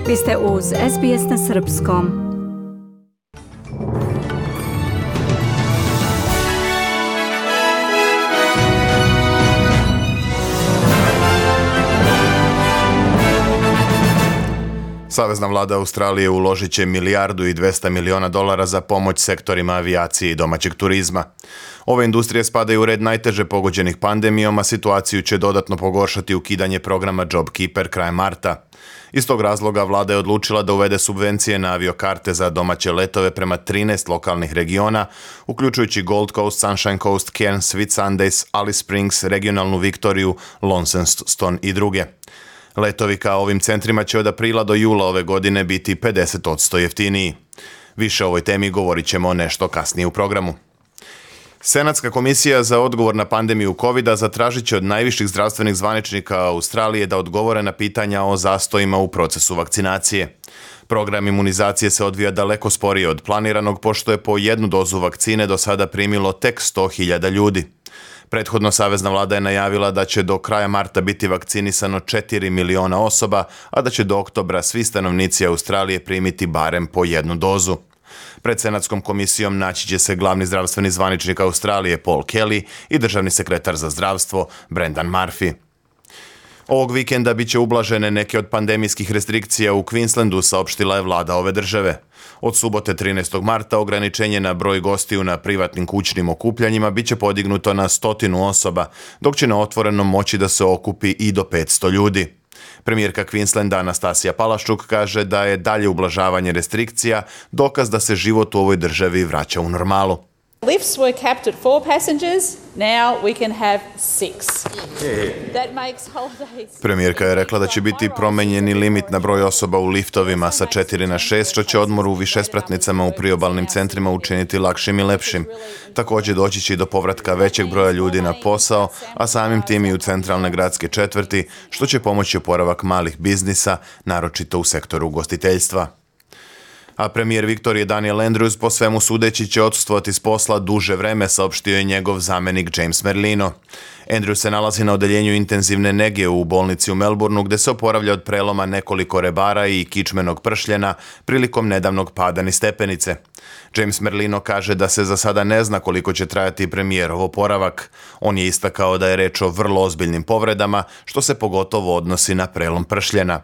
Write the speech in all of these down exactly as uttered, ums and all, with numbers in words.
Vi ste uz S B S na srpskom. Savezna vlada Australije uložit će milijardu i dvesta miliona dolara za pomoć sektorima avijacije i domaćeg turizma. Ove industrije spadaju u red najteže pogođenih pandemijom, a situaciju će dodatno pogoršati ukidanje programa JobKeeper krajem marta. Iz tog razloga vlada je odlučila da uvede subvencije na aviokarte za domaće letove prema trinaest lokalnih regiona, uključujući Gold Coast, Sunshine Coast, Cairns, Whitsundays, Alice Springs, regionalnu Viktoriju, Launceston i druge. Letovi ka ovim centrima će od aprila do jula ove godine biti pedeset posto jeftiniji. Više o ovoj temi govorit ćemo nešto kasnije u programu. Senatska komisija za odgovor na pandemiju kovida zatražit će od najviših zdravstvenih zvaničnika Australije da odgovore na pitanja o zastojima u procesu vakcinacije. Program imunizacije se odvija daleko sporije od planiranog, pošto je po jednu dozu vakcine do sada primilo tek sto hiljada ljudi. Prethodno savezna vlada je najavila da će do kraja marta biti vakcinisano četiri miliona osoba, a da će do oktobra svi stanovnici Australije primiti barem po jednu dozu. Pred Senatskom komisijom naći će se glavni zdravstveni zvaničnik Australije Paul Kelly i državni sekretar za zdravstvo Brendan Murphy. Ovog vikenda bit će ublažene neke od pandemijskih restrikcija u Queenslandu, saopštila je vlada ove države. Od subote trinaestog marta ograničenje na broj gostiju na privatnim kućnim okupljanjima bit će podignuto na stotinu osoba, dok će na otvorenom moći da se okupi i do petsto ljudi. Premijerka Queenslanda Anastasija Palaszczuk kaže da je dalje ublažavanje restrikcija dokaz da se život u ovoj državi vraća u normalu. Lifts were capped at four passengers, now we can have six. That makes holidays. Premijerka je rekla da će biti promenjeni limit na broj osoba u liftovima sa četiri na šest, što će odmor u višespratnicama u priobalnim centrima učiniti lakšim i lepšim. Također doći će i do povratka većeg broja ljudi na posao, a samim tim i u centralne gradske četvrti, što će pomoći oporavak malih biznisa, naročito u sektoru ugostiteljstva. A premijer Viktorije Daniel Andrews po svemu sudeći će odsustvovati s posla duže vreme, saopštio je njegov zamenik James Merlino. Andrews se nalazi na odeljenju intenzivne nege u bolnici u Melbourneu, gde se oporavlja od preloma nekoliko rebara i kičmenog pršljena prilikom nedavnog pada niz stepenice. James Merlino kaže da se za sada ne zna koliko će trajati premijerov oporavak. On je istakao da je reč o vrlo ozbiljnim povredama, što se pogotovo odnosi na prelom pršljena.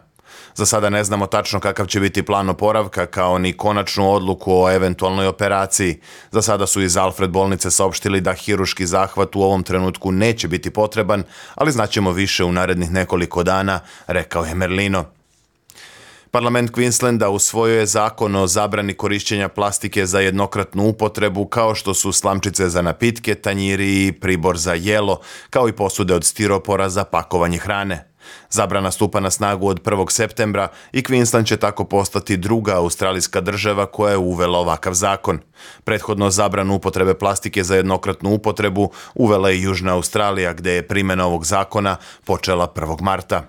Za sada ne znamo tačno kakav će biti plan oporavka, kao ni konačnu odluku o eventualnoj operaciji. Za sada su iz Alfred bolnice saopštili da hiruški zahvat u ovom trenutku neće biti potreban, ali znaćemo više u narednih nekoliko dana, rekao je Merlino. Parlament Queenslanda usvojio je zakon o zabrani korišćenja plastike za jednokratnu upotrebu, kao što su slamčice za napitke, tanjiri i pribor za jelo, kao i posude od stiropora za pakovanje hrane. Zabrana stupa na snagu od prvog septembra i Queensland će tako postati druga australijska država koja je uvela ovakav zakon. Prethodno zabranu upotrebe plastike za jednokratnu upotrebu uvela je Južna Australija, gde je primjena ovog zakona počela prvog marta.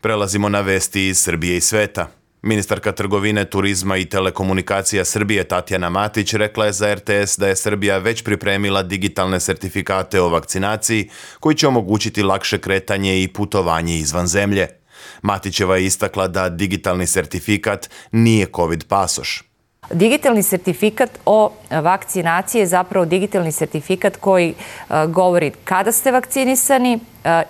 Prelazimo na vesti iz Srbije i sveta. Ministarka trgovine, turizma i telekomunikacija Srbije Tatjana Matić rekla je za R T S da je Srbija već pripremila digitalne sertifikate o vakcinaciji koji će omogućiti lakše kretanje i putovanje izvan zemlje. Matićeva je istakla da digitalni sertifikat nije COVID pasoš. Digitalni sertifikat o vakcinaciji je zapravo digitalni sertifikat koji govori kada ste vakcinisani,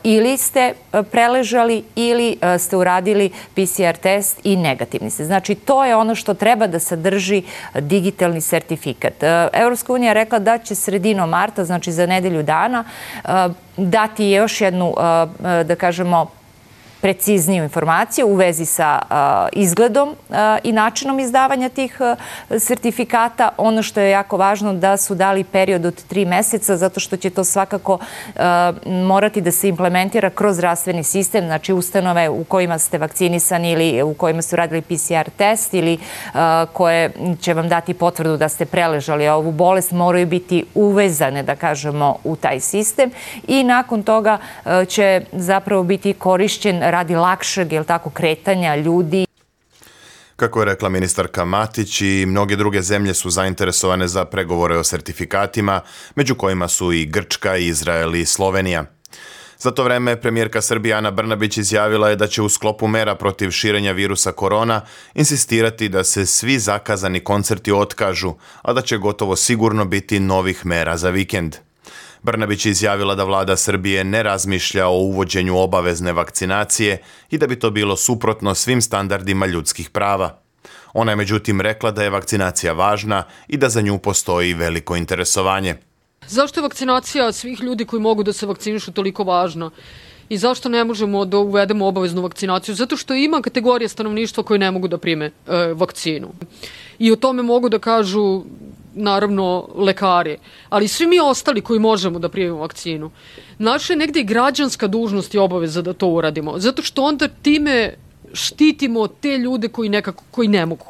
ili ste preležali ili ste uradili P C R test i negativni ste. Znači, to je ono što treba da sadrži digitalni sertifikat. Evropska unija je rekla da će sredinom marta, znači za nedelju dana, dati još jednu, da kažemo, precizniju informaciju u vezi sa izgledom i načinom izdavanja tih sertifikata. Ono što je jako važno da su dali period od tri meseca, zato što će to svakako morati da se implementira kroz zdravstveni sistem, znači ustanove u kojima ste vakcinisani ili u kojima ste uradili P C R test ili koje će vam dati potvrdu da ste preležali ovu bolest, moraju biti uvezane, da kažemo, u taj sistem i nakon toga će zapravo biti korišćen radi lakšeg, jel tako, kretanja ljudi. Kako je rekla ministarka Matić, i mnoge druge zemlje su zainteresovane za pregovore o sertifikatima, među kojima su i Grčka, Izrael i Slovenija. Za to vreme premijerka Srbije Ana Brnabić izjavila je da će u sklopu mera protiv širenja virusa korona insistirati da se svi zakazani koncerti otkažu, a da će gotovo sigurno biti novih mera za vikend. Brnabić je izjavila da vlada Srbije ne razmišlja o uvođenju obavezne vakcinacije i da bi to bilo suprotno svim standardima ljudskih prava. Ona je međutim rekla da je vakcinacija važna i da za nju postoji veliko interesovanje. Zašto je vakcinacija svih ljudi koji mogu da se vakcinišu toliko važna? I zašto ne možemo da uvedemo obaveznu vakcinaciju? Zato što ima kategorija stanovništva koji ne mogu da prime e, vakcinu. I o tome mogu da kažu, naravno, lekari. Ali svi mi ostali koji možemo da primimo vakcinu. Naša je negde i građanska dužnost i obaveza da to uradimo. Zato što onda time štitimo te ljude koji nekako, koji ne mogu.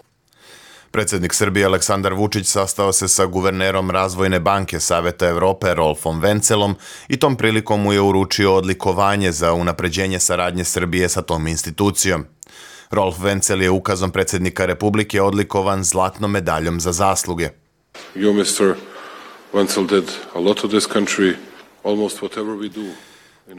Predsjednik Srbije Aleksandar Vučić sastao se sa guvernerom Razvojne banke Saveta Evrope Rolfom Vencelom i tom prilikom mu je uručio odlikovanje za unapređenje saradnje Srbije sa tom institucijom. Rolf Vencel je ukazom predsjednika Republike odlikovan zlatnom medaljom za zasluge. You, mister Vencel, did a lot of this country, almost whatever we do.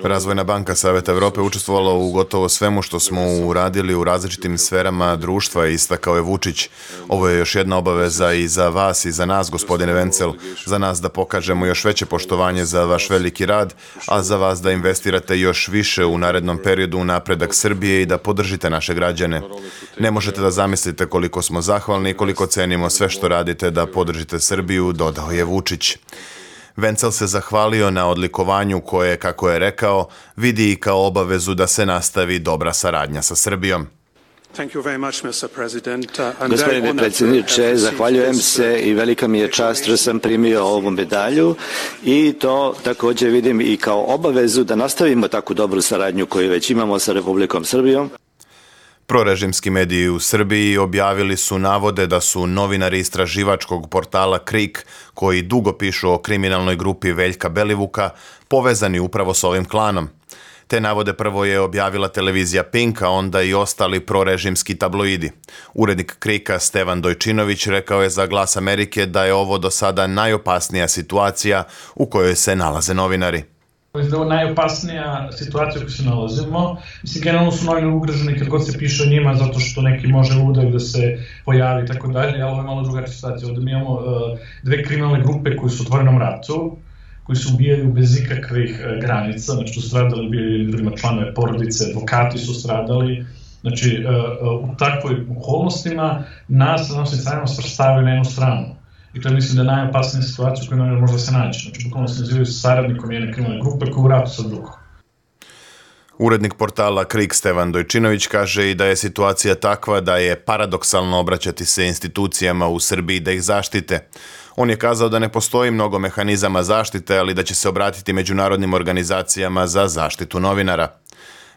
Razvojna banka Saveta Evrope učestvovala u gotovo svemu što smo uradili u različitim sferama društva, istakao je Vučić. Ovo je još jedna obaveza i za vas i za nas, gospodine Vencel, za nas da pokažemo još veće poštovanje za vaš veliki rad, a za vas da investirate još više u narednom periodu u napredak Srbije i da podržite naše građane. Ne možete da zamislite koliko smo zahvalni i koliko cenimo sve što radite da podržite Srbiju, dodao je Vučić. Vencel se zahvalio na odlikovanju koje, kako je rekao, vidi i kao obavezu da se nastavi dobra saradnja sa Srbijom. Gospodine predsjedniče, zahvaljujem se i velika mi je čast što sam primio ovu medalju i to također vidim i kao obavezu da nastavimo takvu dobru saradnju koju već imamo sa Republikom Srbijom. Prorežimski mediji u Srbiji objavili su navode da su novinari istraživačkog portala Krik, koji dugo pišu o kriminalnoj grupi Veljka Belivuka, povezani upravo s ovim klanom. Te navode prvo je objavila televizija Pink, a onda i ostali prorežimski tabloidi. Urednik Krika Stevan Dojčinović rekao je za Glas Amerike da je ovo do sada najopasnija situacija u kojoj se nalaze novinari. Mislim da je ovo najopasnija situacija u kojoj se nalazimo. Mislim, generalno su novinari ugroženi kad god se piše o njima, zato što neki može udar da se pojavi i tako dalje, ali ovo je malo drugačija situacija. Ovdje mi imamo uh, dve kriminalne grupe koji su u otvorenom ratu, koji su ubijali bez ikakvih uh, granica, znači su stradali, ubijali drugima članove porodice, advokati su stradali. Znači, uh, uh, u takvoj okolnostima nas, nam se stranima svrstavaju na jednu stranu. I to je, mislim, da je najopasnija situacija u kojoj novinar može da se naći. Znači, bukvalno se nazivaju saradnikom jedne kriminalne grupe koji u ratu sa drugom. Urednik portala Krik Stevan Dojčinović kaže i da je situacija takva da je paradoksalno obraćati se institucijama u Srbiji da ih zaštite. On je kazao da ne postoji mnogo mehanizama zaštite, ali da će se obratiti međunarodnim organizacijama za zaštitu novinara.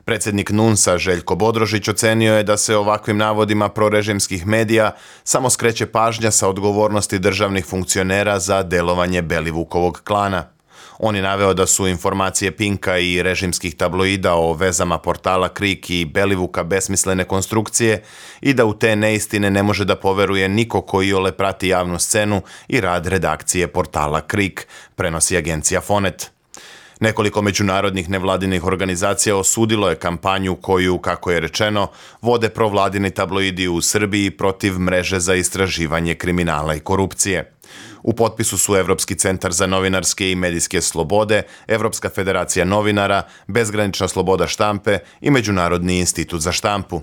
Predsjednik NUNS-a Željko Bodrožić ocenio je da se ovakvim navodima prorežimskih medija samo skreće pažnja sa odgovornosti državnih funkcionera za delovanje Belivukovog klana. On je naveo da su informacije Pinka i režimskih tabloida o vezama portala Krik i Belivuka besmislene konstrukcije i da u te neistine ne može da poveruje niko ko iole prati javnu scenu i rad redakcije portala Krik, prenosi agencija Fonet. Nekoliko međunarodnih nevladinih organizacija osudilo je kampanju koju, kako je rečeno, vode provladini tabloidi u Srbiji protiv mreže za istraživanje kriminala i korupcije. U potpisu su Evropski centar za novinarske i medijske slobode, Evropska federacija novinara, Bezgranična sloboda štampe i Međunarodni institut za štampu.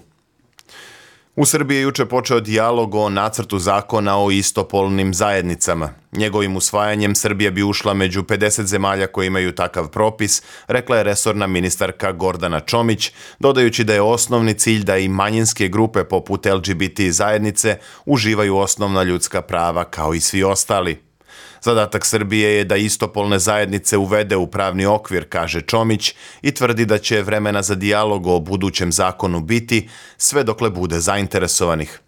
U Srbiji je juče počeo dijalog o nacrtu zakona o istopolnim zajednicama. Njegovim usvajanjem Srbija bi ušla među pedeset zemalja koji imaju takav propis, rekla je resorna ministarka Gordana Čomić, dodajući da je osnovni cilj da i manjinske grupe poput L G B T zajednice uživaju osnovna ljudska prava kao i svi ostali. Zadatak Srbije je da istopolne zajednice uvede u pravni okvir, kaže Čomić, i tvrdi da će vremena za dijalog o budućem zakonu biti sve dokle bude zainteresovanih.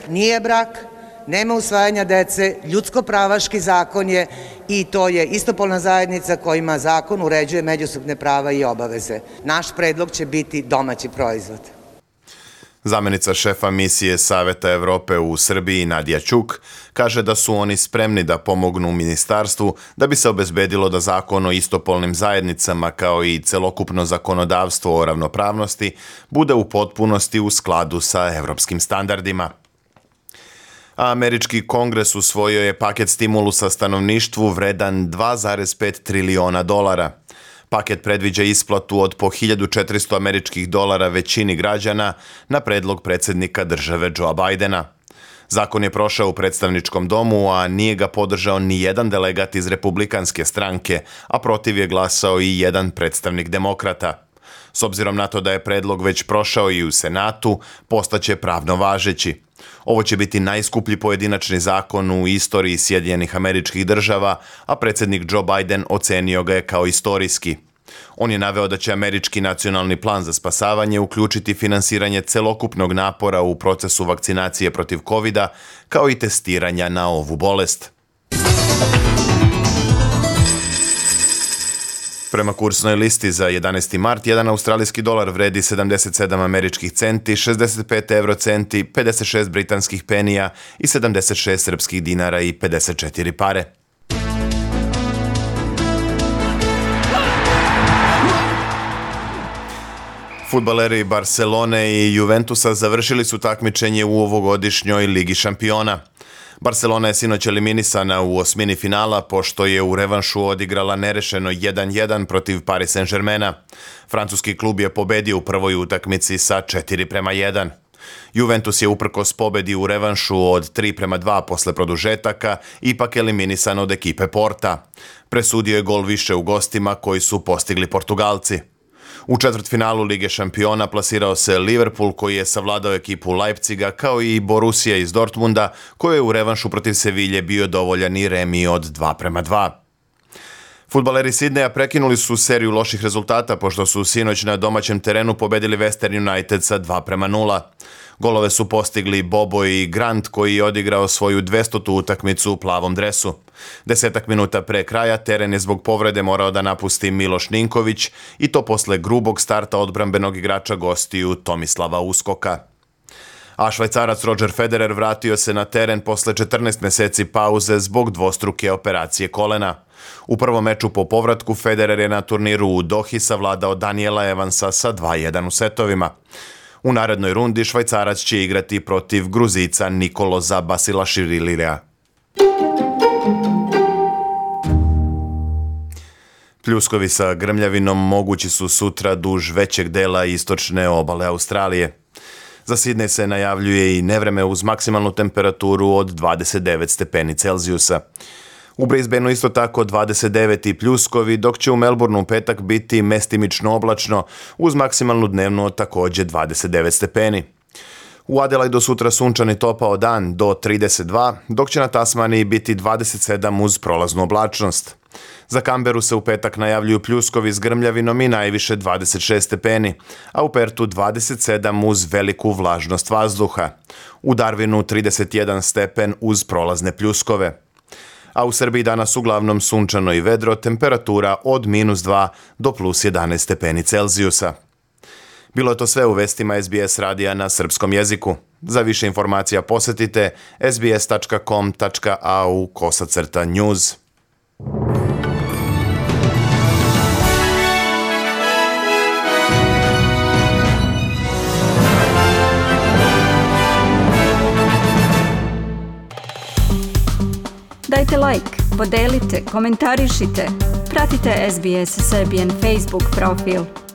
Nije brak, nema usvajanja dece, ljudsko-pravaški zakon je i to je istopolna zajednica kojima zakon uređuje međusobne prava i obaveze. Naš predlog će biti domaći proizvod. Zamenica šefa misije Saveta Evrope u Srbiji Nadija Ćuk kaže da su oni spremni da pomognu ministarstvu da bi se obezbedilo da zakon o istopolnim zajednicama kao i celokupno zakonodavstvo o ravnopravnosti bude u potpunosti u skladu sa evropskim standardima. Američki kongres usvojio je paket stimulusa stanovništvu vredan dva zarez pet triliona dolara. Paket predviđa isplatu od po hiljadu četiristo američkih dolara većini građana na predlog predsjednika države Joea Bidena. Zakon je prošao u predstavničkom domu, a nije ga podržao ni jedan delegat iz republikanske stranke, a protiv je glasao i jedan predstavnik demokrata. S obzirom na to da je predlog već prošao i u Senatu, postaće pravno važeći. Ovo će biti najskuplji pojedinačni zakon u istoriji Sjedinjenih Američkih Država, a predsjednik Joe Biden ocenio ga je kao istorijski. On je naveo da će američki nacionalni plan za spasavanje uključiti finansiranje celokupnog napora u procesu vakcinacije protiv kovida, kao i testiranja na ovu bolest. Prema kursnoj listi za jedanaesti mart, jedan australijski dolar vredi sedamdeset sedam američkih centi, šezdeset pet evro centi, pedeset šest britanskih penija i sedamdeset šest srpskih dinara i pedeset četiri pare. Fudbaleri Barcelone i Juventusa završili su takmičenje u ovogodišnjoj Ligi šampiona. Barcelona je sinoć eliminisana u osmini finala pošto je u revanšu odigrala nerešeno jedan jedan protiv Paris Saint-Germaina. Francuski klub je pobedio u prvoj utakmici sa četiri prema jedan. Juventus je uprkos pobedi u revanšu od tri prema dva posle produžetaka ipak eliminisan od ekipe Porta. Presudio je gol više u gostima koji su postigli Portugalci. U četvrtfinalu Lige šampiona plasirao se Liverpool koji je savladao ekipu Leipziga kao i Borussia iz Dortmunda koji je u revanšu protiv Sevilje bio dovoljan i remi od dva prema dva. Fudbaleri Sidneja prekinuli su seriju loših rezultata pošto su sinoć na domaćem terenu pobedili Western United sa dva prema nula. Golove su postigli Bobo i Grant koji je odigrao svoju dvestotu utakmicu u plavom dresu. Desetak minuta pre kraja teren je zbog povrede morao da napusti Miloš Ninković i to posle grubog starta odbrambenog igrača gostiju Tomislava Uskoka. A Švajcarac Roger Federer vratio se na teren posle četrnaest meseci pauze zbog dvostruke operacije kolena. U prvom meču po povratku Federer je na turniru u Dohi savladao Daniela Evansa sa dva jedan u setovima. U narednoj rundi Švajcarac će igrati protiv Gruzica Nikoloza Basilašivilija. Pljuskovi sa grmljavinom mogući su sutra duž većeg dela istočne obale Australije. Za Sidnej se najavljuje i nevreme uz maksimalnu temperaturu od dvadeset devet stepeni Celzijusa. U Brisbaneu isto tako dvadeset devet i pljuskovi, dok će u Melbourneu u petak biti mestimično oblačno uz maksimalnu dnevnu također dvadeset devet stepeni. U Adelaidu sutra sunčan i topao dan do trideset dva, dok će na Tasmaniji biti dvadeset sedam uz prolaznu oblačnost. Za Kamberu se u petak najavljuju pljuskovi s grmljavinom i najviše dvadeset šest stepeni, a u Pertu dvadeset sedam uz veliku vlažnost vazduha. U Darwinu trideset jedan stepen uz prolazne pljuskove. A u Srbiji danas uglavnom sunčano i vedro, temperatura od minus dva do plus jedanaest stepeni Celzijusa. Bilo je to sve u vestima S B S radija na srpskom jeziku. Za više informacija posetite s b s tačka com tačka a u kosacrta news. Dajte like, podelite, komentarišite. Pratite S B S Serbian Facebook profil.